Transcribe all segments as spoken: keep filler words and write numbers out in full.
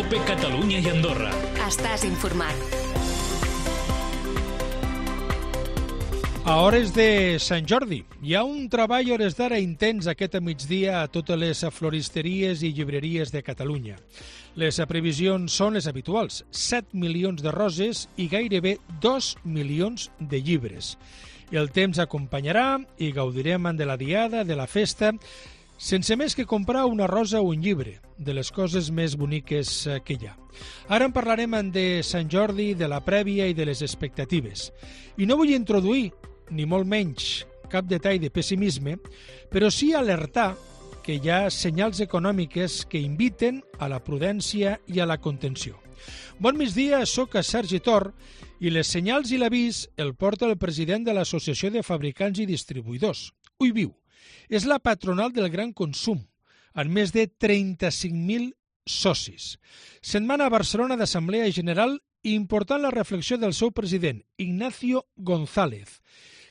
COPE Catalunya i Andorra. Estàs informat. A hores de Sant Jordi, hi ha un treball a hores d'ara intens aquest migdia a totes les floristeries i llibreries de Catalunya. Les previsions són les habituals, set milions de roses i gairebé dos milions de llibres. El temps acompanyarà i gaudirem de la diada, de la festa, sense més que comprar una rosa o un llibre, de les coses més boniques que hi ha. Ara en parlarem de Sant Jordi, de la prèvia i de les expectatives. I no vull introduir, ni molt menys, cap detall de pessimisme, però sí alertar que hi ha senyals econòmiques que inviten a la prudència i a la contenció. Bon migdia, soc Sergi Tor i les senyals i l'avís el porta el president de l'Associació de Fabricants i Distribuïdors, Uiviu. És la patronal del gran consum, amb més de trenta-cinc mil socis. Setmana a Barcelona d'Assemblea General i important la reflexió del seu president, Ignacio González,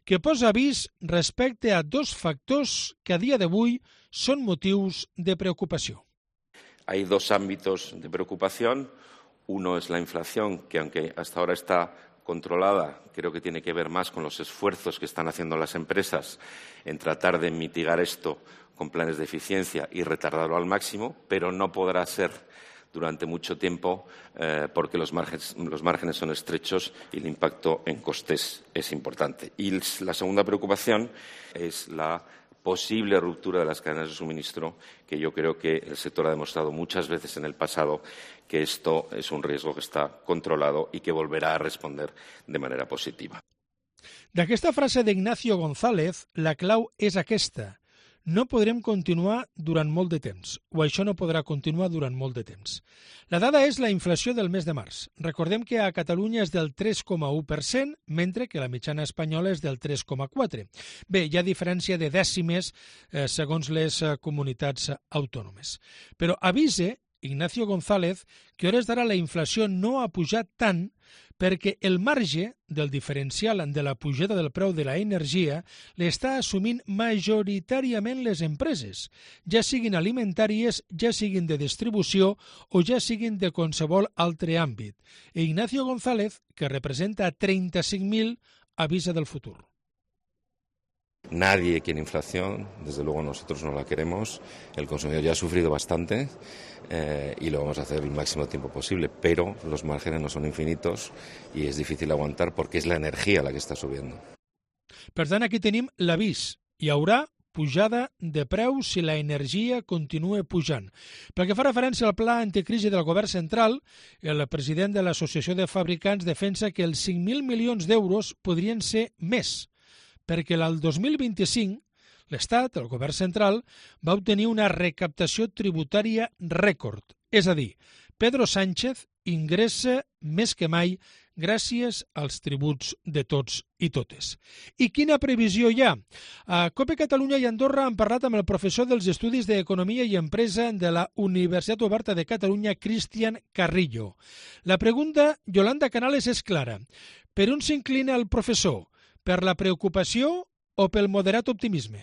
que posa avís respecte a dos factors que a dia d'avui són motius de preocupació. Hay dos ámbitos de preocupación. Uno es la inflación, que aunque hasta ahora está controlada, creo que tiene que ver más con los esfuerzos que están haciendo las empresas en tratar de mitigar esto con planes de eficiencia y retardarlo al máximo, pero no podrá ser durante mucho tiempo eh, porque los márgenes, los márgenes son estrechos y el impacto en costes es importante. Y la segunda preocupación es la posible ruptura de las cadenas de suministro, que yo creo que el sector ha demostrado muchas veces en el pasado que esto es un riesgo que está controlado y que volverá a responder de manera positiva. D'aquesta frase d'Ignacio González, la clau és aquesta. No podrem continuar durant molt de temps, o això no podrà continuar durant molt de temps. La dada és la inflació del mes de març. Recordem que a Catalunya és del tres coma u per cent, mentre que la mitjana espanyola és del tres coma quatre. Bé, hi ha diferència de dècimes eh, segons les eh, comunitats autònomes. Però avise Ignacio González que a hores d'ara la inflació no ha pujat tant perquè el marge del diferencial de la pujada del preu de l'energia l'està assumint majoritàriament les empreses, ja siguin alimentàries, ja siguin de distribució o ja siguin de qualsevol altre àmbit. E Ignacio González, que representa trenta-cinc mil, avisa del futur. Nadie quiere inflación, desde luego nosotros no la queremos, el consumidor ya ha sufrido bastante eh, y lo vamos a hacer el máximo tiempo posible, pero los márgenes no son infinitos y es difícil aguantar porque es la energía la que está subiendo. Per tant, aquí tenim l'avís. Hi haurà pujada de preus si la energia continua pujant. Pel que fa referència al pla anticrisi del govern central, el president de l'Associació de Fabricants defensa que els cinc mil milions d'euros podrien ser més, perquè el dos mil vint-i-cinc l'Estat, el govern central, va obtenir una recaptació tributària rècord. És a dir, Pedro Sánchez ingressa més que mai gràcies als tributs de tots i totes. I quina previsió hi ha? A COPE Catalunya i Andorra han parlat amb el professor dels Estudis d'Economia i Empresa de la Universitat Oberta de Catalunya, Cristian Carrillo. La pregunta, Yolanda Canales, és clara. Per on s'inclina el professor? Per la preocupació o pel moderat optimisme?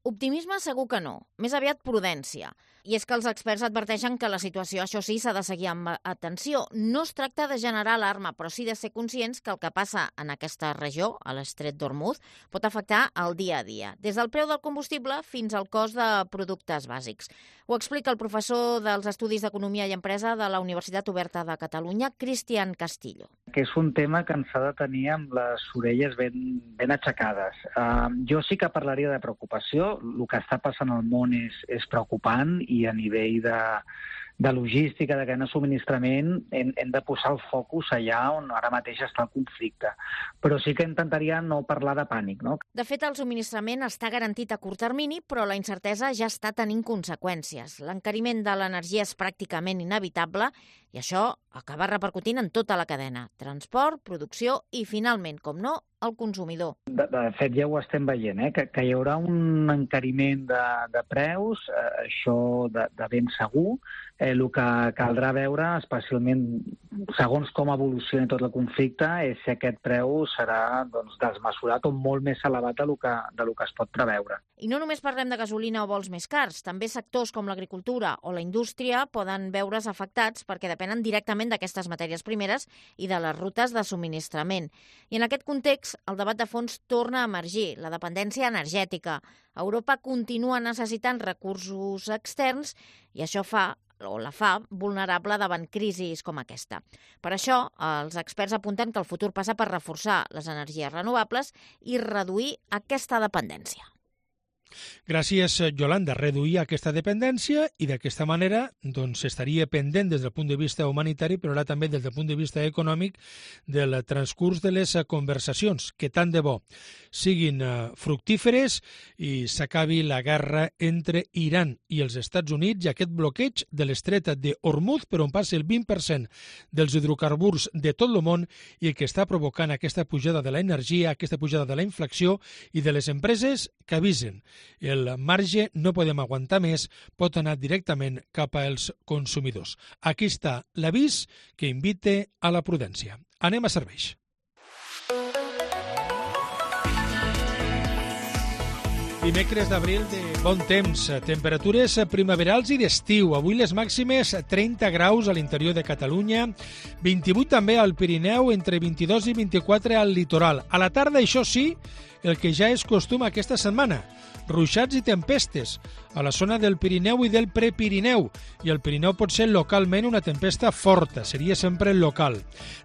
Optimisme segur que no, més aviat prudència. I és que els experts adverteixen que la situació, això sí, s'ha de seguir amb atenció. No es tracta de generar alarma, però sí de ser conscients que el que passa en aquesta regió, a l'Estret d'Hormuz, pot afectar el dia a dia, des del preu del combustible fins al cost de productes bàsics. Ho explica el professor dels Estudis d'Economia i Empresa de la Universitat Oberta de Catalunya, Cristian Castillo. Que és un tema que ens ha de tenir amb les orelles ben, ben aixecades. Uh, jo sí que parlaria de preocupació. El que està passant al món és, és preocupant i a nivell de, de logística, de cadena de subministrament, hem, hem de posar el focus allà on ara mateix està el conflicte. Però sí que intentaria no parlar de pànic, no? De fet, el subministrament està garantit a curt termini, però la incertesa ja està tenint conseqüències. L'encariment de l'energia és pràcticament inevitable i això acaba repercutint en tota la cadena. Transport, producció i, finalment, com no, al consumidor. De, de fet, ja ho estem veient, eh? que, que hi haurà un encariment de, de preus, eh, això de, de ben segur. Eh, el que caldrà veure, especialment segons com evolucioni tot el conflicte, és si aquest preu serà doncs, desmesurat o molt més elevat de lo que, de lo que es pot preveure. I no només parlem de gasolina o vols més cars, també sectors com l'agricultura o la indústria poden veure's afectats perquè depenen directament d'aquestes matèries primeres i de les rutes de subministrament. I en aquest context, el debat de fons torna a emergir, la dependència energètica. Europa continua necessitant recursos externs i això fa o la fa vulnerable davant crisis com aquesta. Per això, els experts apunten que el futur passa per reforçar les energies renovables i reduir aquesta dependència. Gràcies, Yolanda. Reduir aquesta dependència i d'aquesta manera doncs, estaria pendent des del punt de vista humanitari, però ara també des del punt de vista econòmic del transcurs de les conversacions, que tant de bo siguin fructíferes i s'acabi la guerra entre Iran i els Estats Units i aquest bloqueig de l'estret de Hormuz, per on passa el vint per cent dels hidrocarburs de tot el món i que està provocant aquesta pujada de l'energia, aquesta pujada de la inflació i de les empreses que avisen. El marge no podem aguantar més, pot anar directament cap als consumidors. Aquí està l'avís que invita a la prudència. Anem a serveis. Dimecres d'abril de bon temps, temperatures primaverals i d'estiu. Avui les màximes trenta graus a l'interior de Catalunya, vint-i-vuit també al Pirineu, entre vint-i-dos i vint-i-quatre al litoral. A la tarda, això sí, el que ja és costum aquesta setmana, ruixats i tempestes a la zona del Pirineu i del Prepirineu, i el Pirineu pot ser localment una tempesta forta, seria sempre local.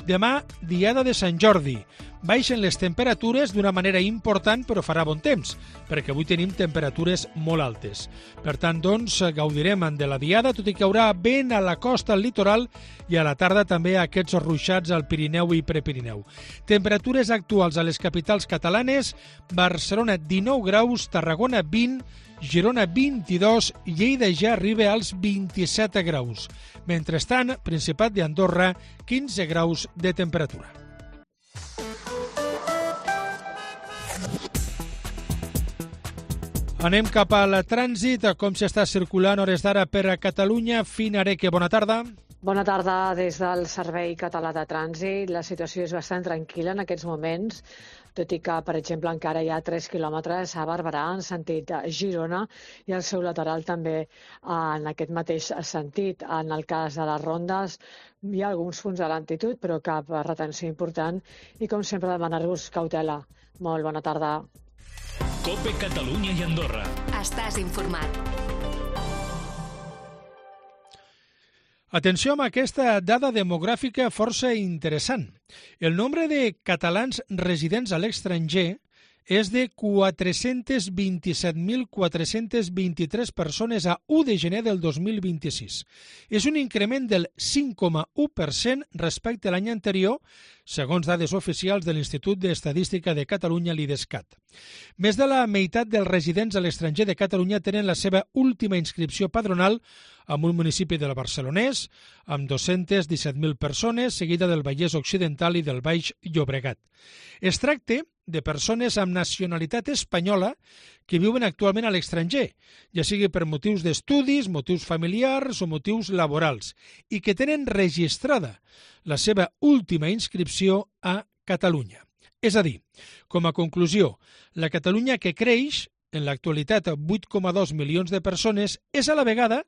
Demà, diada de Sant Jordi. Baixen les temperatures d'una manera important, però farà bon temps, perquè avui tenim temperatures molt altes. Per tant, doncs, gaudirem de la diada, tot i que hi haurà vent a la costa, al litoral, i a la tarda també aquests ruixats al Pirineu i Prepirineu. Temperatures actuals a les capitals catalanes: Barcelona dinou graus, Tarragona vint, Girona vint-i-dos, Lleida ja arriba als vint-i-set graus. Mentrestant, Principat d'Andorra, quinze graus de temperatura. Anem cap al trànsit, com s'està circulant hores d'ara per a Catalunya. Fina Areque, bona tarda. Bona tarda des del Servei Català de Trànsit. La situació és bastant tranquil·la en aquests moments, tot i que, per exemple, encara hi ha tres quilòmetres a Barberà en sentit Girona i el seu lateral també en aquest mateix sentit. En el cas de les rondes hi ha alguns punts de lentitud, però cap retenció important i, com sempre, demanar-vos cautela. Molt bona tarda. COPE Catalunya i Andorra. Estàs informat. Atenció amb aquesta dada demogràfica força interessant. El nombre de catalans residents a l'estranger és de quatre-cents vint-i-set mil quatre-cents vint-i-tres persones a u de gener del dos mil vint-i-sis. És un increment del cinc coma u per cent respecte a l'any anterior, segons dades oficials de l'Institut d'Estadística de Catalunya, l'IDESCAT. Més de la meitat dels residents a l'estranger de Catalunya tenen la seva última inscripció padronal en un municipi del Barcelonès, amb dos-cents disset mil persones, seguida del Vallès Occidental i del Baix Llobregat. Es tracta de persones amb nacionalitat espanyola que viuen actualment a l'estranger, ja sigui per motius d'estudis, motius familiars o motius laborals, i que tenen registrada la seva última inscripció a Catalunya. És a dir, com a conclusió, la Catalunya que creix, en l'actualitat vuit coma dos milions de persones, és a la vegada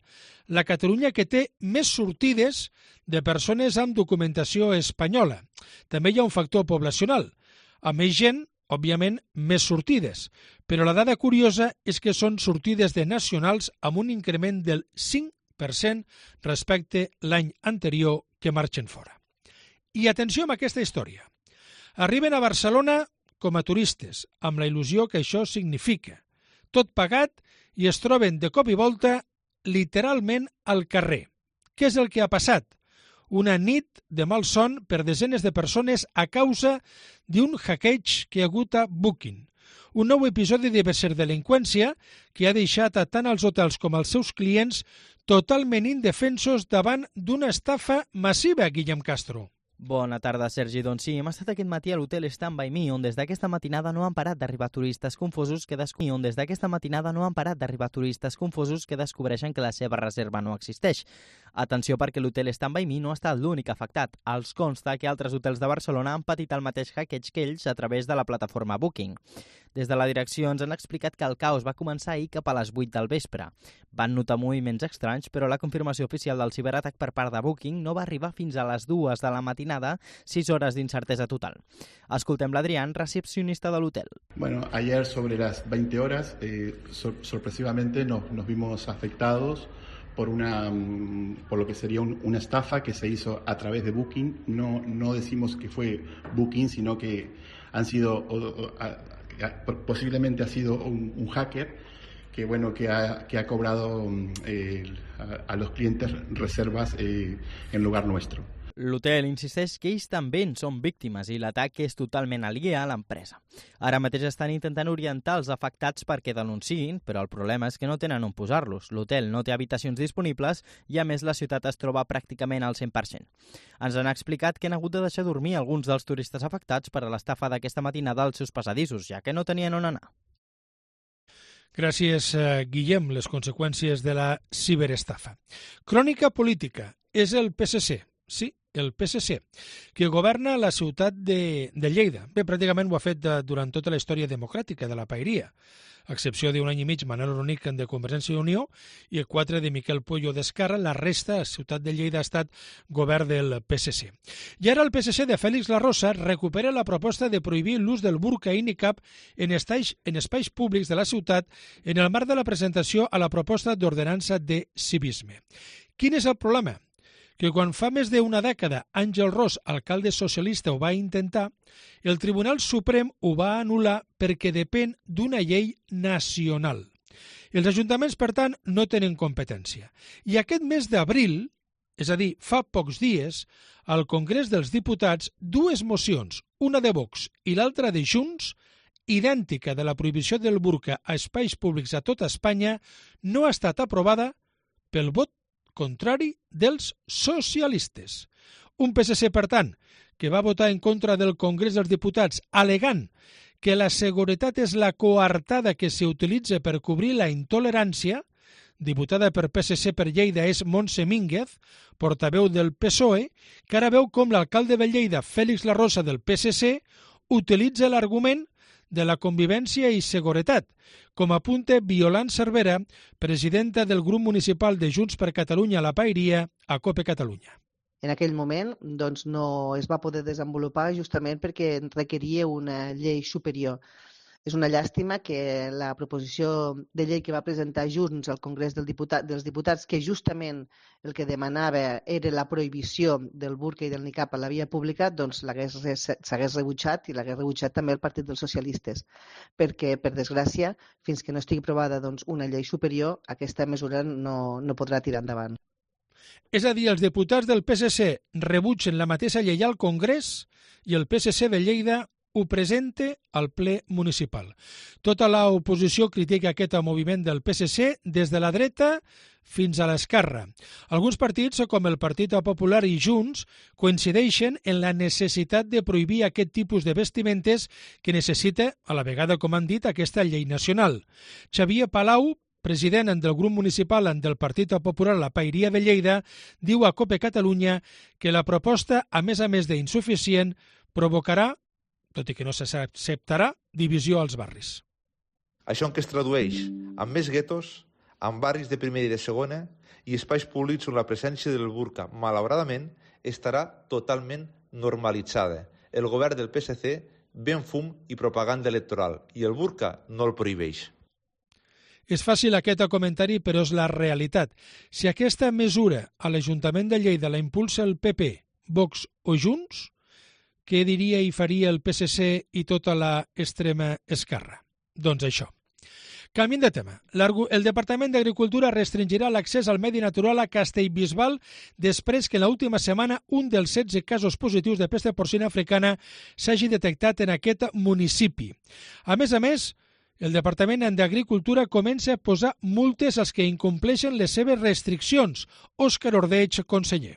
la Catalunya que té més sortides de persones amb documentació espanyola. També hi ha un factor poblacional, a més gent, òbviament, més sortides, però la dada curiosa és que són sortides de nacionals amb un increment del cinc per cent respecte l'any anterior que marxen fora. I atenció amb aquesta història. Arriben a Barcelona com a turistes, amb la il·lusió que això significa. Tot pagat i es troben de cop i volta literalment al carrer. Què és el que ha passat? Una nit de malson per desenes de persones a causa d'un hackeig que hi ha hagut a Booking. Un nou episodi de ciberdelinqüència que ha deixat a tant els hotels com els seus clients totalment indefensos davant d'una estafa massiva, Guillem Castro. Bona tarda, Sergi. Doncs sí, hem estat aquest matí a l'hotel Stand By Me, on des d'aquesta matinada no han parat d'arribar turistes confosos que desco... on des d'aquesta matinada no han parat d'arribar turistes confosos que descobreixen que la seva reserva no existeix. Atenció, perquè l'hotel Stand By Me no ha estat l'únic afectat. Els consta que altres hotels de Barcelona han patit el mateix hackeig que ells a través de la plataforma Booking. Des de la direcció ens han explicat que el caos va començar ahir cap a les vuit del vespre. Van notar moviments estranys, però la confirmació oficial del ciberatac per part de Booking no va arribar fins a les dues de la matinada, sis hores d'incertesa total. Escoltem l'Adrián, recepcionista de l'hotel. Bueno, ayer sobre las veinte horas, eh, sor sorpresivamente nos, nos vimos afectados por una por lo que sería un, una estafa que se hizo a través de Booking. No, no decimos que fue Booking, sino que han sido o, o, a, a, posiblemente ha sido un, un hacker que bueno que ha, que ha cobrado eh, a, a los clientes reservas eh, en lugar nuestro. L'hotel insisteix que ells també en són víctimes i l'atac és totalment aliè a l'empresa. Ara mateix estan intentant orientar els afectats perquè denunciïn, però el problema és que no tenen on posar-los. L'hotel no té habitacions disponibles i, a més, la ciutat es troba pràcticament al cent per cent. Ens han explicat que han hagut de deixar dormir alguns dels turistes afectats per a l'estafa d'aquesta matinada als seus passadissos, ja que no tenien on anar. Gràcies, Guillem. Les conseqüències de la ciberestafa. Crònica política. És el P S C. Sí, el P S C, que governa la ciutat de, de Lleida. Bé, pràcticament ho ha fet de, durant tota la història democràtica de la paeria, a excepció d'un any i mig Manel Ronic de Convergència i Unió i quatre de Miquel Puello d'Esquerra. La resta, la ciutat de Lleida, ha estat govern del P S C. I ara el P S C de Félix Larrosa recupera la proposta de prohibir l'ús del burca i nicab en espais, en espais públics de la ciutat en el marc de la presentació a la proposta d'ordenança de civisme. Quin és el problema? Que quan fa més d'una dècada Àngel Ros, alcalde socialista, ho va intentar, el Tribunal Suprem ho va anul·lar perquè depèn d'una llei nacional. Els ajuntaments, per tant, no tenen competència. I aquest mes d'abril, és a dir, fa pocs dies, al Congrés dels Diputats, dues mocions, una de Vox i l'altra de Junts, idèntica de la prohibició del burca a espais públics a tota Espanya, no ha estat aprovada pel vot contrari dels socialistes. Un P S C, per tant, que va votar en contra del Congrés dels Diputats alegant que la seguretat és la coartada que s'utilitza per cobrir la intolerància. Diputada per P S C per Lleida és Montse Mínguez, portaveu del P S O E, que ara veu com l'alcalde de Lleida, Félix Larrosa, del P S C, utilitza l'argument de la convivència i seguretat, com apunta Violant Cervera, presidenta del grup municipal de Junts per Catalunya a la Paeria, a COPE Catalunya. En aquell moment doncs, no es va poder desenvolupar justament perquè requeria una llei superior. És una llàstima que la proposició de llei que va presentar Junts al Congrés del Diputat, dels Diputats, que justament el que demanava era la prohibició del burca i del nicab a la via pública, doncs s'hagués rebutjat i l'hagués rebutjat també el Partit dels Socialistes. Perquè, per desgràcia, fins que no estigui aprovada doncs, una llei superior, aquesta mesura no, no podrà tirar endavant. És a dir, els diputats del P S C rebutgen la mateixa llei al Congrés i el P S C de Lleida ho presenta al ple municipal. Tota l'oposició critica aquest moviment del P S C des de la dreta fins a l'esquerra. Alguns partits, com el Partit Popular i Junts, coincideixen en la necessitat de prohibir aquest tipus de vestimentes que necessita, a la vegada, com han dit, aquesta llei nacional. Xavier Palau, president del grup municipal del Partit Popular a la Paeria de Lleida, diu a COPE Catalunya que la proposta, a més a més d'insuficient, provocarà, tot i que no s'acceptarà, divisió als barris. Això en què es tradueix? Amb més guetos, amb barris de primera i de segona i espais públics on la presència del burca, malauradament, estarà totalment normalitzada. El govern del P S C ven fum i propaganda electoral i el burca no el prohibeix. És fàcil aquest comentari, però és la realitat. Si aquesta mesura a l'Ajuntament de Lleida la impulsa el P P, Vox o Junts, què diria i faria el P S C i tota la extrema esquerra? Doncs això. Canviem de tema. El Departament d'Agricultura restringirà l'accés al medi natural a Castellbisbal després que en l'última setmana un dels setze casos positius de pesta porcina africana s'hagi detectat en aquest municipi. A més a més, el Departament d'Agricultura comença a posar multes als que incompleixen les seves restriccions. Òscar Ordeig, conseller.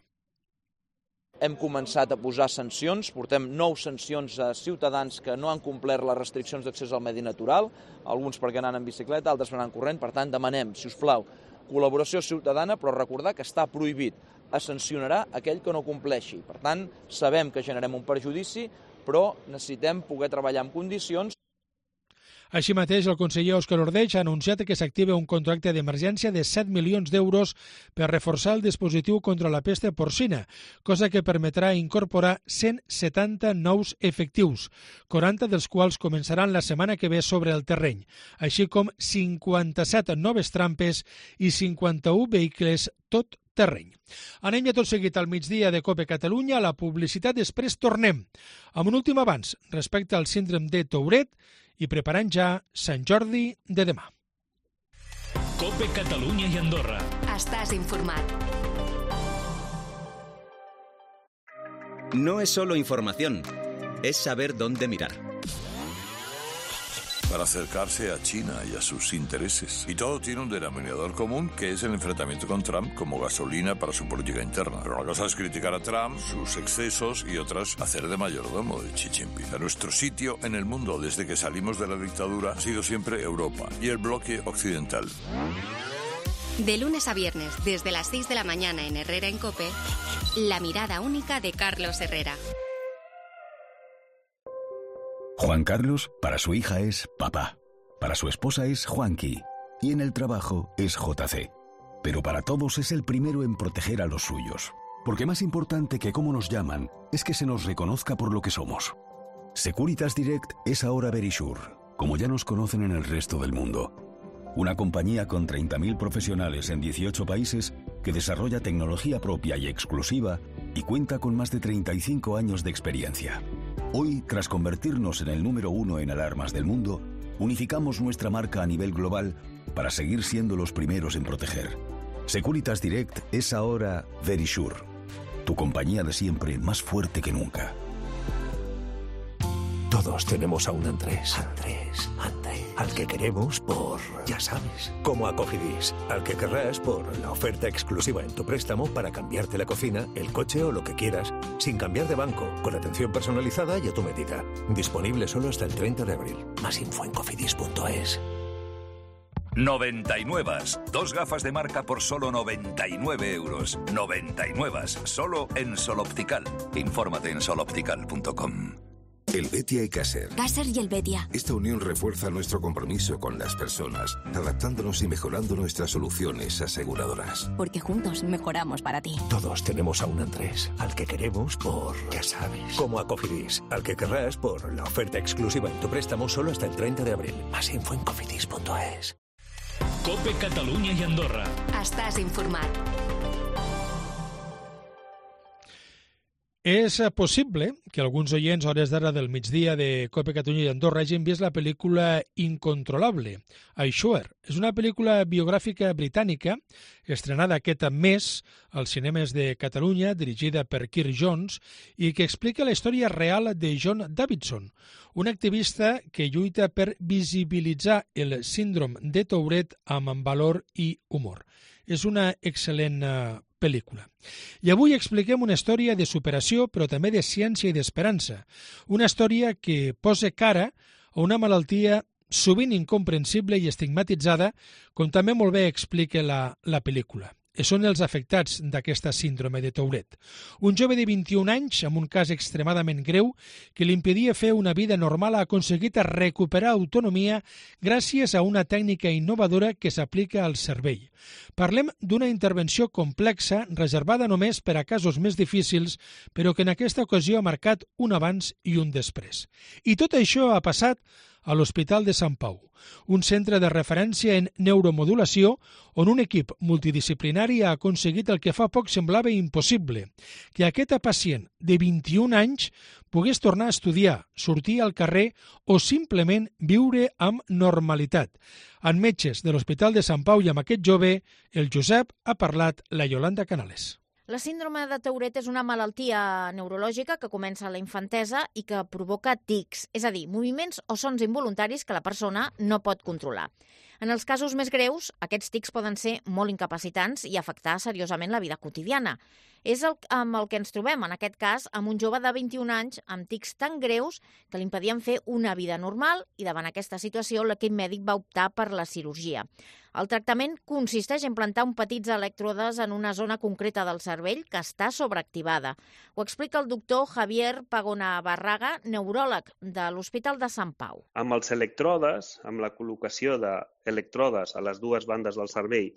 hem començat a posar sancions, portem nou sancions a ciutadans que no han complert les restriccions d'accés al medi natural, alguns perquè anaven en bicicleta, altres per anar corrent, per tant demanem, si us plau, col·laboració ciutadana, però recordar que està prohibit, es sancionarà aquell que no compleixi. Per tant, sabem que generem un perjudici, però necessitem poder treballar en condicions. Així mateix, el conseller Òscar Ordeig ha anunciat que s'activa un contracte d'emergència de set milions d'euros per reforçar el dispositiu contra la pesta porcina, cosa que permetrà incorporar cent setanta nous efectius, quaranta dels quals començaran la setmana que ve sobre el terreny, així com cinquanta-set noves trampes i cinquanta-un vehicles tot terreny. Anem ja tot seguit al migdia de COPE Catalunya, a la publicitat, després tornem amb un últim avanç respecte al síndrome de Tourette i preparant ja Sant Jordi de demà. COPE Catalunya i Andorra. Estàs informat. No es solo información, es saber dónde mirar. Para acercarse a China y a sus intereses. Y todo tiene un denominador común, que es el enfrentamiento con Trump como gasolina para su política interna. Pero una cosa es criticar a Trump, sus excesos, y otras hacer de mayordomo de Xi Jinping. Nuestro sitio en el mundo desde que salimos de la dictadura ha sido siempre Europa y el bloque occidental. De lunes a viernes, desde las seis de la mañana en Herrera en COPE, la mirada única de Carlos Herrera. Juan Carlos, para su hija es papá, para su esposa es Juanqui y en el trabajo es J C. Pero para todos es el primero en proteger a los suyos, porque más importante que cómo nos llaman es que se nos reconozca por lo que somos. Securitas Direct es ahora Verisure, como ya nos conocen en el resto del mundo. Una compañía con treinta mil profesionales en dieciocho países que desarrolla tecnología propia y exclusiva y cuenta con más de treinta y cinco años de experiencia. Hoy, tras convertirnos en el número uno en alarmas del mundo, unificamos nuestra marca a nivel global para seguir siendo los primeros en proteger. Securitas Direct es ahora Verisure, tu compañía de siempre más fuerte que nunca. Todos tenemos a un Andrés. Andrés, Andrés. Al que queremos por, ya sabes, como a Cofidis. Al que querrás por la oferta exclusiva en tu préstamo para cambiarte la cocina, el coche o lo que quieras, sin cambiar de banco, con atención personalizada y a tu medida. Disponible solo hasta el treinta de abril. Más info en cofidis punto es. noventa y nueve. Dos gafas de marca por solo noventa y nueve euros. noventa y nueve. Solo en Sol Optical. Infórmate en sol optical punto com. Helvetia y Caser. Caser y Helvetia. Esta unión refuerza nuestro compromiso con las personas, adaptándonos y mejorando nuestras soluciones aseguradoras. Porque juntos mejoramos para ti. Todos tenemos a un Andrés, al que queremos por, ya sabes, como a Cofidis. Al que querrás por la oferta exclusiva en tu préstamo solo hasta el treinta de abril. Más info en cofidis punto es. COPE Catalunya i Andorra. Estàs informat. És possible que alguns oients a hores d'ara del migdia de COPE Catalunya i Andorra hagin vist la pel·lícula Incontrolable, I Sure. És una pel·lícula biogràfica britànica estrenada aquest mes als cinemes de Catalunya, dirigida per Kirk Jones, i que explica la història real de John Davidson, un activista que lluita per visibilitzar el síndrome de Tourette amb valor i humor. És una excel·lent pel·lícula. I avui expliquem una història de superació, però també de ciència i d'esperança. Una història que posa cara a una malaltia sovint incomprensible i estigmatitzada, com també molt bé explica la, la pel·lícula. Són els afectats d'aquesta síndrome de Tourette. Un jove de vint-i-un anys, amb un cas extremadament greu, que li impedia fer una vida normal, ha aconseguit recuperar autonomia gràcies a una tècnica innovadora que s'aplica al cervell. Parlem d'una intervenció complexa, reservada només per a casos més difícils, però que en aquesta ocasió ha marcat un abans i un després. I tot això ha passat a l'Hospital de Sant Pau, un centre de referència en neuromodulació on un equip multidisciplinari ha aconseguit el que fa poc semblava impossible, que aquest pacient de vint-i-un anys pogués tornar a estudiar, sortir al carrer o simplement viure amb normalitat. En metges de l'Hospital de Sant Pau i amb aquest jove, el Josep, ha parlat la Yolanda Canales. La síndrome de Tourette és una malaltia neurològica que comença a la infantesa i que provoca tics, és a dir, moviments o sons involuntaris que la persona no pot controlar. En els casos més greus, aquests tics poden ser molt incapacitants i afectar seriosament la vida quotidiana. És el, amb el que ens trobem, en aquest cas, amb un jove de vint-i-un anys amb tics tan greus que li impedien fer una vida normal i davant aquesta situació l'equip mèdic va optar per la cirurgia. El tractament consisteix en plantar un petits elèctrodes en una zona concreta del cervell que està sobreactivada. Ho explica el doctor Javier Pagona Barraga, neuròleg de l'Hospital de Sant Pau. Amb els electrodes, amb la col·locació d'electrodes a les dues bandes del cervell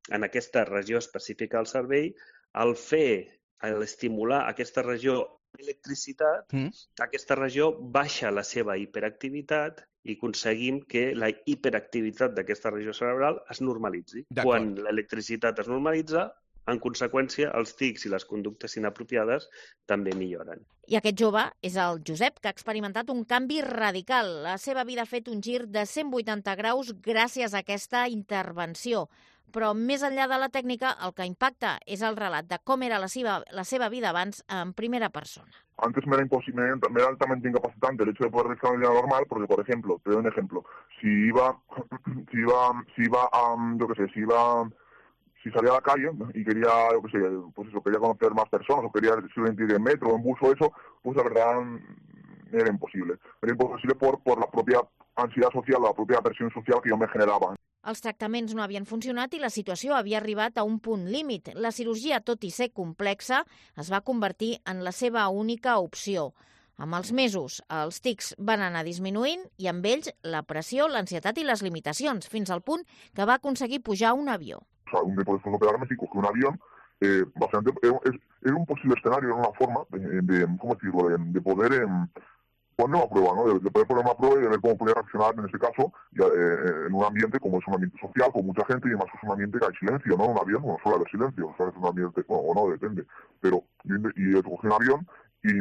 en aquesta regió específica del cervell, al fer, a estimular aquesta regió electricitat, mm. aquesta regió baixa la seva hiperactivitat i aconseguim que la hiperactivitat d'aquesta regió cerebral es normalitzi. Quan l'electricitat es normalitza, en conseqüència, els tics i les conductes inapropiades també milloren. I aquest jove és el Josep, que ha experimentat un canvi radical. La seva vida ha fet un gir de cent vuitanta graus gràcies a aquesta intervenció. Però més enllà de la tècnica, el que impacta és el relat de com era la seva, la seva vida abans en primera persona. Antes me era, imposible, me era altamente incapacitante el hecho de poder realizar una vida normal, porque, por ejemplo, te doy un ejemplo, si iba, si iba, si iba a, yo qué sé, si iba, si salía a la calle y quería, yo qué sé, pues eso, quería conocer más personas, o quería simplemente ir en metro o en bus o eso, pues la verdad era imposible. Era imposible por, por la propia ansiedad social, la propia presión social que yo me generaba. Els tractaments no havien funcionat i la situació havia arribat a un punt límit. La cirurgia, tot i ser complexa, es va convertir en la seva única opció. Amb els mesos, els tics van anar disminuint i amb ells la pressió, l'ansietat i les limitacions, fins al punt que va aconseguir pujar a un avió. O sea, un día después de operarme, sí, cogí un avión. Eh, bastante, era, era un posible escenario, era una forma de, de ¿cómo decirlo?, de, de poder... Eh, poner una prueba, ¿no? De, de poder poner una prueba y de ver cómo podía reaccionar en este caso ya, eh, en un ambiente como es un ambiente social, con mucha gente y además es un ambiente que hay silencio, ¿no? Un avión no suele haber silencio, o sea, es un ambiente, bueno, o no, depende, pero y, y cogí un avión y,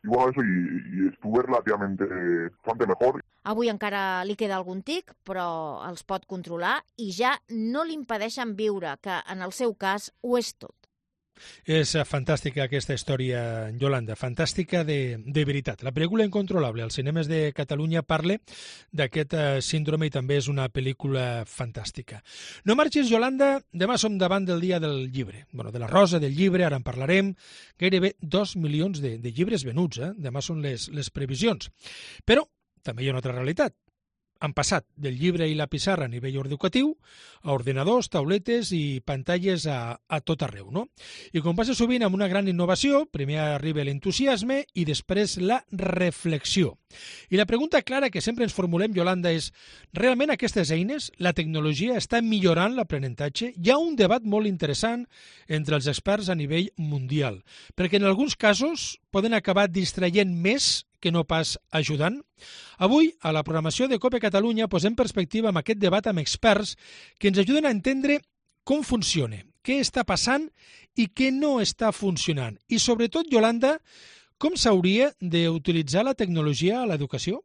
y bueno, eso, y, y estuve relativamente eh, bastante mejor. Avui encara li queda algun tic, però els pot controlar i ja no li impedeixen viure, que en el seu cas ho és tot. És fantàstica aquesta història, Yolanda, fantàstica de, de veritat. La pel·lícula Incontrolable als cinemes de Catalunya parla d'aquest síndrome i també és una pel·lícula fantàstica. No marxis, Yolanda, demà som davant del dia del llibre, bueno, de la rosa del llibre, ara en parlarem, gairebé dos milions de, de llibres venuts, eh? Demà són les, les previsions. Però també hi ha una altra realitat. Han passat del llibre i la pissarra a nivell educatiu a ordinadors, tauletes i pantalles a, a tot arreu, no? I com passa sovint amb una gran innovació, primer arriba l'entusiasme i després la reflexió. I la pregunta clara que sempre ens formulem, Yolanda, és realment aquestes eines, la tecnologia, està millorant l'aprenentatge? Hi ha un debat molt interessant entre els experts a nivell mundial, perquè en alguns casos poden acabar distraient més que no pas ajudant? Avui, a la programació de COPE Catalunya, posem perspectiva amb aquest debat amb experts que ens ajuden a entendre com funciona, què està passant i què no està funcionant. I sobretot, Yolanda, com s'hauria d'utilitzar la tecnologia a l'educació?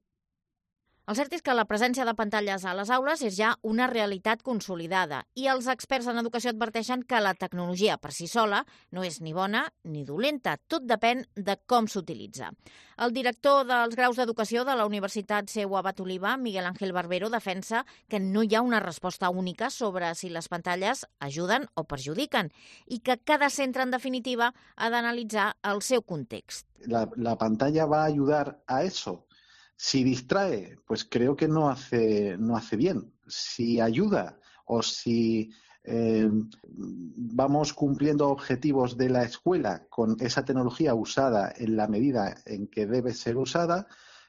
El cert és que la presència de pantalles a les aules és ja una realitat consolidada i els experts en educació adverteixen que la tecnologia per si sola no és ni bona ni dolenta, tot depèn de com s'utilitza. El director dels graus d'educació de la Universitat C U A Bat Oliva, Miguel Ángel Barbero, defensa que no hi ha una resposta única sobre si les pantalles ajuden o perjudiquen i que cada centre, en definitiva, ha d'analitzar el seu context. La, la pantalla va a ayudar a eso. Si distrae, pues creo que no hace, no hace bien. Si ayuda o si eh, vamos cumpliendo objetivos de la escuela con esa tecnología usada en la medida en que debe ser usada,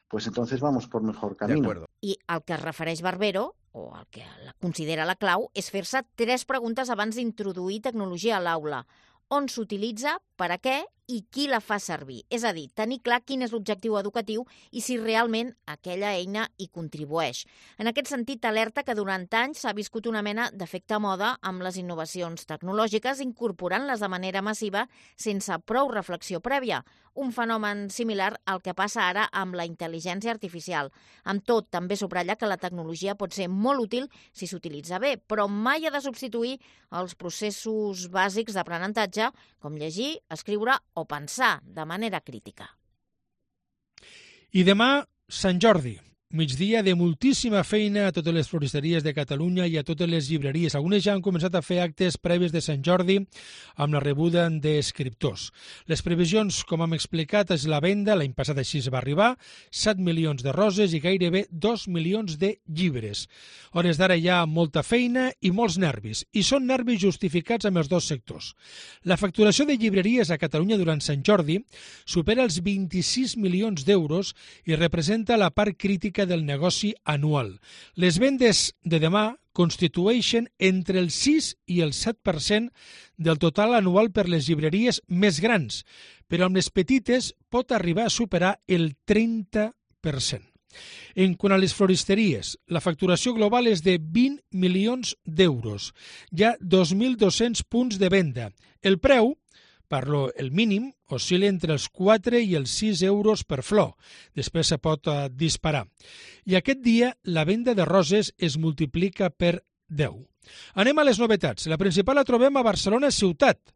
pues entonces vamos por mejor camino. I el que es refereix Barbero, o el que la considera la clau, és fer-se tres preguntes abans d'introduir tecnologia a l'aula. On s'utilitza, per a què i qui la fa servir. És a dir, tenir clar quin és l'objectiu educatiu i si realment aquella eina hi contribueix. En aquest sentit, alerta que durant anys s'ha viscut una mena d'efecte moda amb les innovacions tecnològiques, incorporant-les de manera massiva sense prou reflexió prèvia. Un fenomen similar al que passa ara amb la intel·ligència artificial. Amb tot, també subratlla que la tecnologia pot ser molt útil si s'utilitza bé, però mai ha de substituir els processos bàsics d'aprenentatge, com llegir, escriure o pensar de manera crítica. I demà, Sant Jordi. migdia de moltíssima feina a totes les floristeries de Catalunya i a totes les llibreries. Algunes ja han començat a fer actes previs de Sant Jordi amb la rebuda d'escriptors. Les previsions, com hem explicat, és la venda, l'any passat així es va arribar, set milions de roses i gairebé dos milions de llibres. A hores d'ara hi ha molta feina i molts nervis, i són nervis justificats amb els dos sectors. La facturació de llibreries a Catalunya durant Sant Jordi supera els vint-i-sis milions d'euros i representa la part crítica del negoci anual. Les vendes de demà constitueixen entre el sis i el set per cent del total anual per les llibreries més grans, però amb les petites pot arribar a superar el trenta per cent. En quant a les floristeries, la facturació global és de vint milions d'euros. Hi ha dos mil dos-cents punts de venda. El preu, parlo el mínim, oscil·la entre els quatre i els sis euros per flor. Després se pot uh, disparar. I aquest dia la venda de roses es multiplica per deu. Anem a les novetats. La principal la trobem a Barcelona ciutat.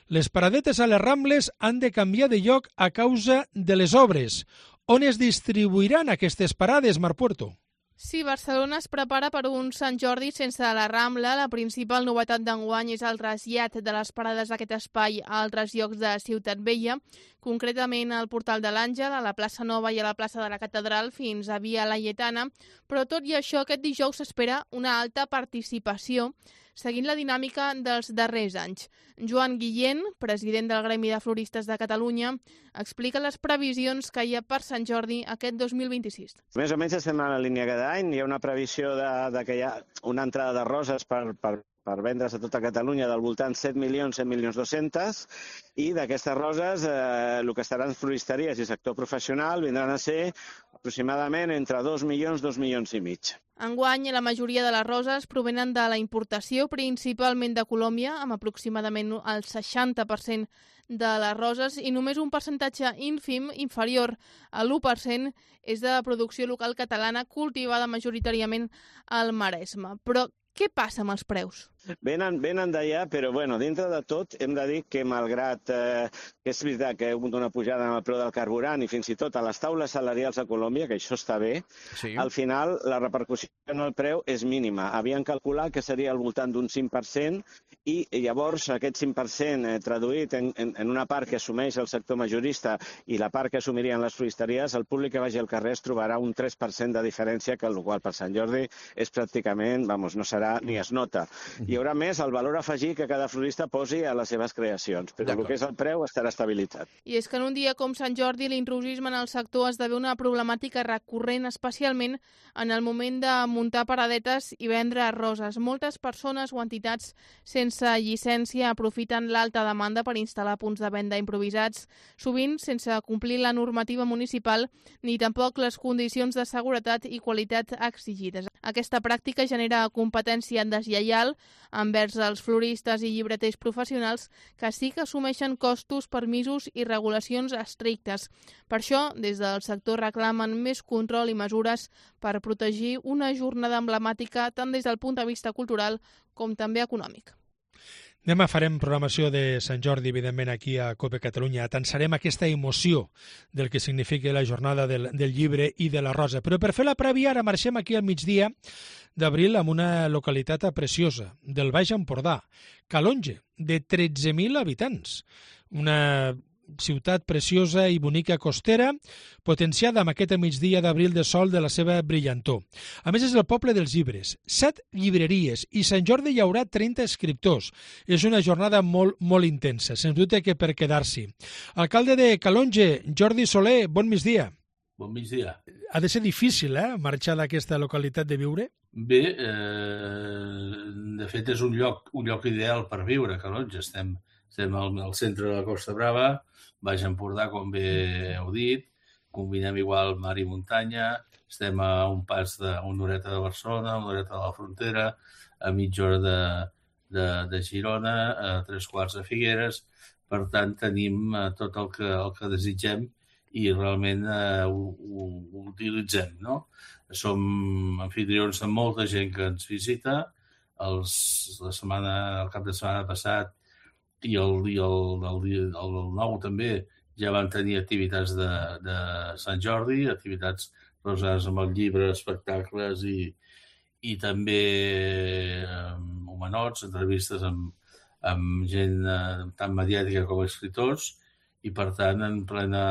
Les paradetes a les Rambles han de canviar de lloc a causa de les obres. On es distribuiran aquestes parades, Marc Puerto? Sí, Barcelona es prepara per un Sant Jordi sense la Rambla. La principal novetat d'enguany és el trasllat de les parades d'aquest espai a altres llocs de Ciutat Vella, concretament al Portal de l'Àngel, a la plaça Nova i a la plaça de la Catedral fins a Via Laietana, però tot i això aquest dijous s'espera una alta participació seguint la dinàmica dels darrers anys. Joan Guillén, president del Gremi de Floristes de Catalunya, explica les previsions que hi ha per Sant Jordi aquest dos mil vint-i-sis. Més o menys estem en la línia cada any. Hi ha una previsió de, de que hi ha una entrada de roses per, per, per vendre's a tota Catalunya del voltant set milions, set milions dos-cents, i d'aquestes roses eh, el que estaran floristeries i sector professional vindran a ser aproximadament entre dos milions, dos milions i mig. Enguany, la majoria de les roses provenen de la importació, principalment de Colòmbia, amb aproximadament el seixanta per cent de les roses, i només un percentatge ínfim, inferior a l'u per cent, és de producció local catalana cultivada majoritàriament al Maresme. Però què passa amb els preus? Venen, venen d'allà, però bueno, dintre de tot hem de dir que malgrat eh, que és veritat que hi ha hagut una pujada en el preu del carburant i fins i tot a les taules salarials a Colòmbia, que això està bé, sí. Al final la repercussió en el preu és mínima. Havien calculat que seria al voltant d'un cinc per cent i llavors aquest cinc per cent eh, traduït en, en, en una part que assumeix el sector majorista i la part que assumirien les floristeries, el públic que vagi al carrer es trobarà un tres per cent de diferència, que el qual per Sant Jordi és pràcticament, vamos, no serà ni es nota. I hi haurà més el valor afegit que cada florista posi a les seves creacions, però el que és el preu estarà estabilitzat. I és que en un dia com Sant Jordi l'intrusisme en el sector esdevé una problemàtica recurrent, especialment en el moment de muntar paradetes i vendre roses. Moltes persones o entitats sense llicència aprofiten l'alta demanda per instal·lar punts de venda improvisats, sovint sense complir la normativa municipal ni tampoc les condicions de seguretat i qualitat exigides. Aquesta pràctica genera competència deslleial envers els floristes i llibreters professionals que sí que assumeixen costos, permisos i regulacions estrictes. Per això, des del sector reclamen més control i mesures per protegir una jornada emblemàtica tant des del punt de vista cultural com també econòmic. Demà farem programació de Sant Jordi, evidentment, aquí a COPE Catalunya. Atensarem aquesta emoció del que significa la jornada del, del llibre i de la rosa. Però per fer la prèvia, ara marxem aquí al migdia d'abril amb una localitat preciosa, del Baix Empordà, Calonge, de tretze mil habitants. Una ciutat preciosa i bonica costera, potenciada amb aquest migdia d'abril de sol de la seva brillantor. A més, és el poble dels llibres. Set llibreries i Sant Jordi hi haurà trenta escriptors. És una jornada molt, molt intensa, sens dubte que per quedar-s'hi. Alcalde de Calonge, Jordi Soler, bon migdia. Bon migdia. Ha de ser difícil, eh?, marxar d'aquesta localitat de viure? Bé, eh, de fet és un lloc, un lloc ideal per viure, Calonge. Estem, estem al, al centre de la Costa Brava, Baix Empordà, com bé heu dit, combinem igual mar i muntanya, estem a un pas de una horeta de Barcelona, una horeta de la frontera, a mitja hora de, de, de Girona, a tres quarts de Figueres. Per tant, tenim tot el que, el que desitgem i realment eh, ho, ho, ho utilitzem, no? Som anfitrions de molta gent que ens visita. Els, la setmana, el cap de setmana passat i el, i el, el, el, el nou també ja van tenir activitats de, de Sant Jordi, activitats relacionades amb el llibre, espectacles i, i també um, homenots, entrevistes amb, amb gent uh, tant mediàtica com escriptors, i per tant en plena,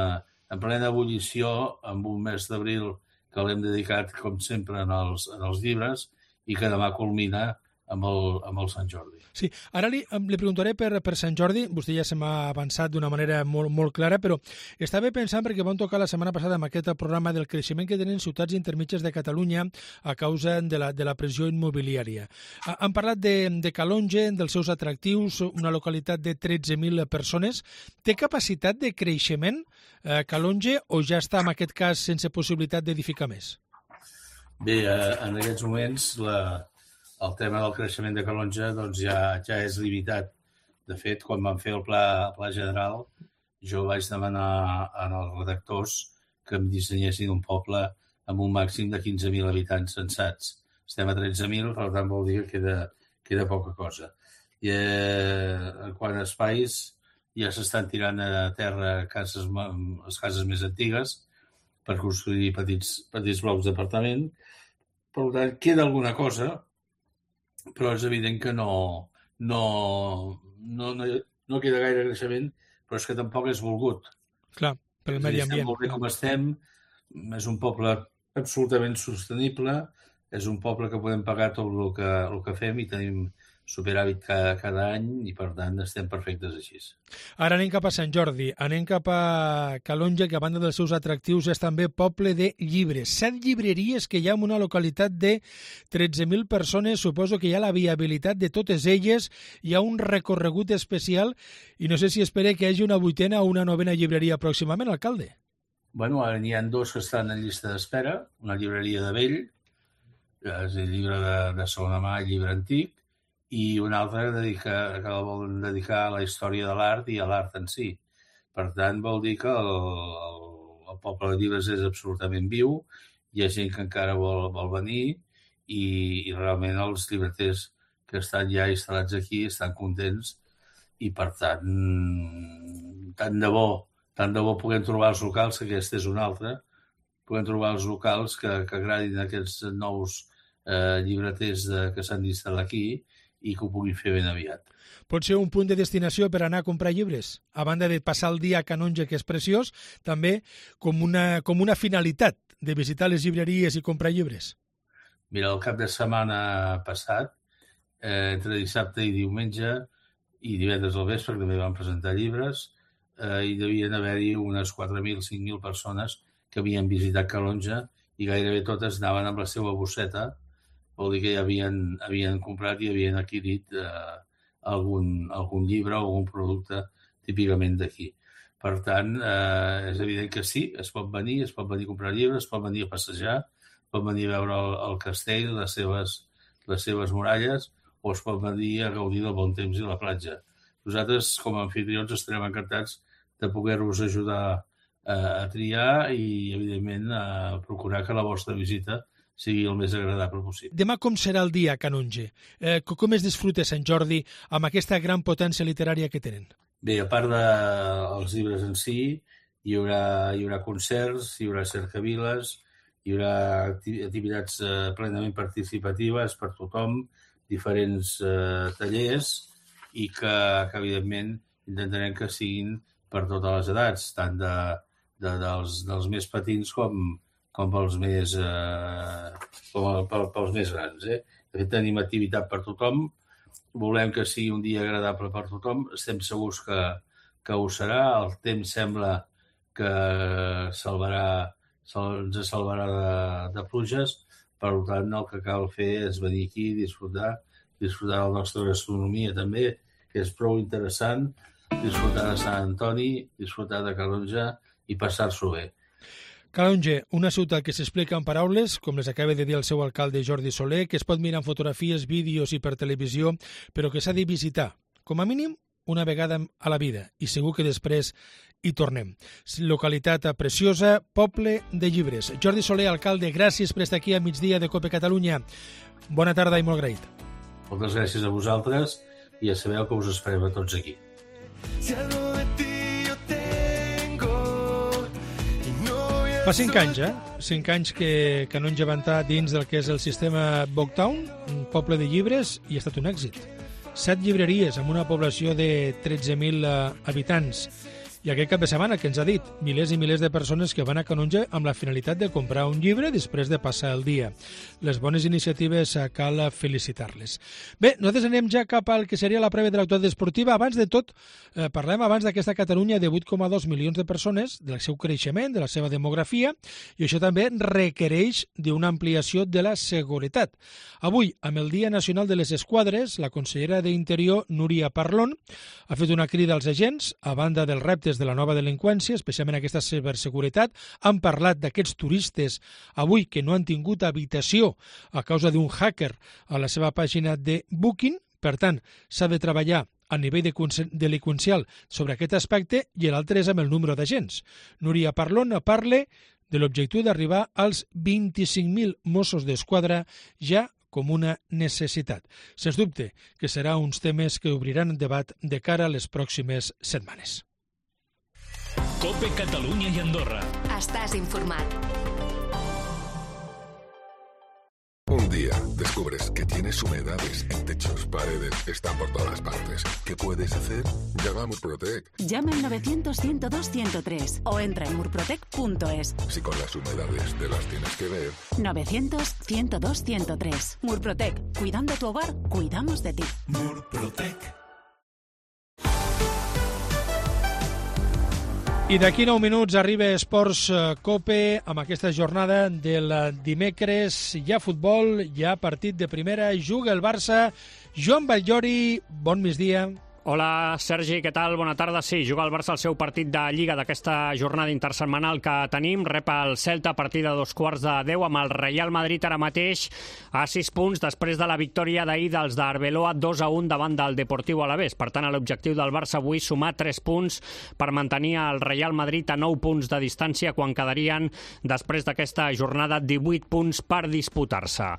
en plena ebullició, amb un mes d'abril que l'hem dedicat, com sempre, en els, en els llibres, i que demà culmina amb el, amb el Sant Jordi. Sí, ara li, li preguntaré per, per Sant Jordi, vostè ja se m'ha avançat d'una manera molt, molt clara, però estava pensant, perquè vam tocar la setmana passada amb aquest programa del creixement que tenen ciutats intermitges de Catalunya a causa de la, de la pressió immobiliària. Han parlat de, de Calonge, dels seus atractius, una localitat de tretze mil persones. Té capacitat de creixement eh, Calonge o ja està en aquest cas sense possibilitat d'edificar més? Bé, eh, en aquests moments la el tema del creixement de Calonge doncs ja, ja és limitat. De fet, quan vam fer el pla, el pla general, jo vaig demanar als redactors que em dissenyessin un poble amb un màxim de quinze mil habitants censats. Estem a tretze mil, per tant vol dir que queda, queda poca cosa. I eh, en quant a espais, ja s'estan tirant a terra cases, les cases més antigues per construir petits, petits blocs d'apartament. Per tant, queda alguna cosa, però és evident que no, no, no, no, no queda gaire creixement, però és que tampoc és volgut. Clar, per el medi ambient. Estem molt bé com estem, és un poble absolutament sostenible, és un poble que podem pagar tot el que, el que fem i tenim superàvit cada, cada any i, per tant, estem perfectes així. Ara anem cap a Sant Jordi, anem cap a Calonge, que a banda dels seus atractius és també poble de llibres. Set llibreries que hi ha en una localitat de tretze mil persones, suposo que hi ha la viabilitat de totes elles, hi ha un recorregut especial i no sé si espera que hi hagi una vuitena o una novena llibreria pròximament, alcalde. Bueno, ara n'hi ha dos que estan en llista d'espera, una llibreria de vell, és el llibre de, de segona mà, llibre antic, i una altra que, dedica, que la volen dedicar a la història de l'art i a l'art en si. Per tant, vol dir que el, el, el poble de llibres és absolutament viu, hi ha gent que encara vol, vol venir i, i realment els llibreters que estan ja instal·lats aquí estan contents i, per tant, tant de bo, tant de bo puguem trobar els locals, que aquesta és una altra, puguem trobar els locals que, que agradin aquests nous eh, llibreters de, que s'han d'instal·lar aquí i que ho puguin fer ben aviat. Pot ser un punt de destinació per anar a comprar llibres? A banda de passar el dia a Calonge, que és preciós, també com una, com una finalitat de visitar les llibreries i comprar llibres? Mira, el cap de setmana passat, eh, entre dissabte i diumenge, i divendres al vespre, que també van presentar llibres, eh, hi devien haver-hi unes quatre mil, cinc mil persones que havien visitat Calonge i gairebé totes anaven amb la seva bosseta. Vol dir que ja havien, havien comprat i havien adquirit eh, algun, algun llibre o algun producte típicament d'aquí. Per tant, eh, és evident que sí, es pot venir, es pot venir a comprar llibres, es pot venir a passejar, es pot venir a veure el, el castell, les seves, les seves muralles, o es pot venir a gaudir del bon temps i la platja. Nosaltres, com a anfitrions, estarem encantats de poder-vos ajudar eh, a triar i, evidentment, a procurar que la vostra visita sigui el més agradable possible. Demà com serà el dia a Calonge? Eh, com es disfruta Sant Jordi amb aquesta gran potència literària que tenen? Bé, a part dels de llibres en si, hi haurà, hi haurà concerts, hi haurà cercaviles, hi haurà activitats eh, plenament participatives per tothom, diferents eh, tallers, i que, que, evidentment, intentarem que siguin per totes les edats, tant de, de, dels, dels més petits com com pels més, eh, com pels més grans. Eh? De fet, tenim activitat per tothom, volem que sigui un dia agradable per tothom, estem segurs que, que ho serà, el temps sembla que salvarà, ens salvarà de, de pluges, per tant, el que cal fer és venir aquí i disfrutar, disfrutar de la nostra gastronomia també, que és prou interessant, disfrutar de Sant Antoni, disfrutar de Calonge i passar-s'ho bé. Calonge, una ciutat que s'explica en paraules, com les acaba de dir el seu alcalde Jordi Soler, que es pot mirar en fotografies, vídeos i per televisió, però que s'ha de visitar, com a mínim, una vegada a la vida, i segur que després hi tornem. Localitat preciosa, poble de llibres. Jordi Soler, alcalde, gràcies per estar aquí a migdia de Cope Catalunya. Bona tarda i molt agraït. Moltes gràcies a vosaltres i ja sabeu que us esperem a tots aquí. Fa cinc anys, eh? cinc anys que, que no han llevantat dins del que és el sistema Booktown, un poble de llibres, i ha estat un èxit. Set llibreries amb una població de tretze mil habitants. I aquest cap de setmana, que ens ha dit, milers i milers de persones que van a Canonja amb la finalitat de comprar un llibre després de passar el dia. Les bones iniciatives cal felicitar-les. Bé, nosaltres anem ja cap al que seria la prèvia de l'actualitat esportiva. Abans de tot, eh, parlem abans d'aquesta Catalunya de vuit coma dos milions de persones, del seu creixement, de la seva demografia, i això també requereix d'una ampliació de la seguretat. Avui, amb el Dia Nacional de les Esquadres, la consellera d'Interior, Núria Parlon, ha fet una crida als agents, a banda dels reptes de la nova delinqüència, especialment aquesta ciberseguretat. Han parlat d'aquests turistes avui que no han tingut habitació a causa d'un hacker a la seva pàgina de Booking. Per tant, s'ha de treballar a nivell delinqüencial sobre aquest aspecte, i l'altre és amb el número d'agents. Núria Parlon parla de l'objectiu d'arribar als vint-i-cinc mil Mossos d'Esquadra ja com una necessitat. Sens dubte que serà uns temes que obriran debat de cara a les pròximes setmanes. COPE Catalunya y Andorra. Estás informat. Un día descubres que tienes humedades en techos, paredes, están por todas partes. ¿Qué puedes hacer? Llama a Murprotec. Llama al novecientos, ciento dos, ciento tres o entra en murprotec punto es. Si con las humedades te las tienes que ver. novecientos, ciento dos, ciento tres. Murprotec. Cuidando tu hogar, cuidamos de ti. Murprotec. I d'aquí nou minuts arriba Esports COPE amb aquesta jornada del dimecres. Hi ha futbol, hi ha partit de primera, juga el Barça. Joan Batllori, bon migdia. Hola, Sergi, què tal? Bona tarda. Sí, juga el Barça el seu partit de Lliga d'aquesta jornada intersetmanal que tenim. Rep el Celta a partir de dos quarts de deu amb el Real Madrid ara mateix a sis punts després de la victòria d'ahir dels d'Arbeloa dos a un davant del Deportiu Alavés. Per tant, l'objectiu del Barça avui és sumar tres punts per mantenir el Real Madrid a nou punts de distància quan quedarien després d'aquesta jornada divuit punts per disputar-se.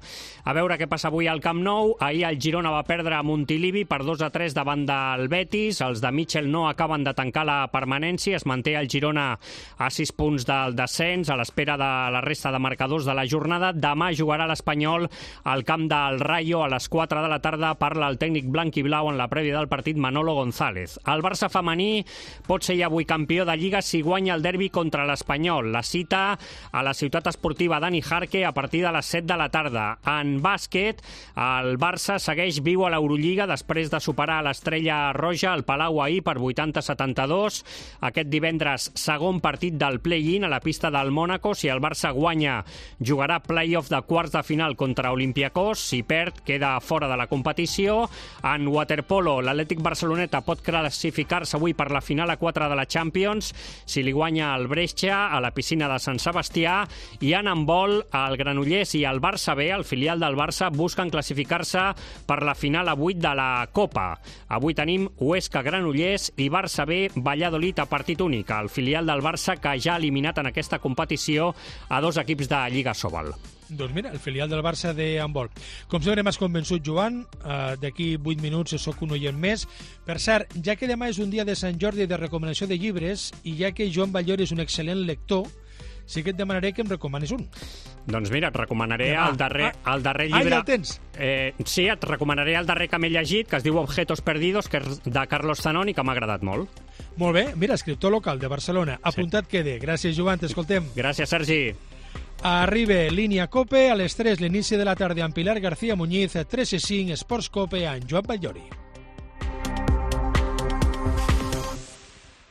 A veure què passa avui al Camp Nou. Ahir el Girona va perdre a Montilivi per dos a tres davant de el Betis. Els de Mitchell no acaben de tancar la permanència. Es manté el Girona a sis punts del descens a l'espera de la resta de marcadors de la jornada. Demà jugarà l'Espanyol al camp del Rayo a les quatre de la tarda. Parla el tècnic blanc i blau en la prèvia del partit, Manolo González. El Barça femení pot ser avui campió de Lliga si guanya el derbi contra l'Espanyol. La cita a la ciutat esportiva Dani Jarque a partir de les set de la tarda. En bàsquet, el Barça segueix viu a l'Eurolliga després de superar l'Estrella Roja al Palau ahir per vuitanta a setanta-dos. Aquest divendres, segon partit del play-in a la pista del Mònaco. Si el Barça guanya, jugarà play-off de quarts de final contra Olympiacos. Si perd, queda fora de la competició. En waterpolo, l'Atlètic Barceloneta pot classificar-se avui per la final a quatre de la Champions si li guanya el Brescia a la piscina de Sant Sebastià. I en handbol, el Granollers i el Barça B, el filial del Barça, busquen classificar-se per la final a vuit de la Copa. Avui tenim Huesca Granollers i Barça B Valladolid a partit únic, el filial del Barça que ja ha eliminat en aquesta competició a dos equips de Lliga Sobal. Doncs mira, el filial del Barça de handbol. Com sempre m'has convençut, Joan, uh, d'aquí vuit minuts sóc un oient més. Per cert, ja que demà és un dia de Sant Jordi de recomanació de llibres i ja que Joan Batllori és un excel·lent lector, sí que et demanaré que em recomanis un. Doncs mira, et recomanaré el darrer, el darrer Ah, llibre... ja el tens? Eh, sí, et recomanaré el darrer que m'he llegit, que es diu Objetos Perdidos, que és de Carlos Zanoni, que m'ha agradat molt. Molt bé, mira, escriptor local de Barcelona. Apuntat sí. Quede. Gràcies, Joan, t'escoltem. Gràcies, Sergi. Arriba Línia COPE, a les tres l'inici de la tarda amb Pilar García Muñiz, tres i cinc, Esports COPE, amb Joan Batllori.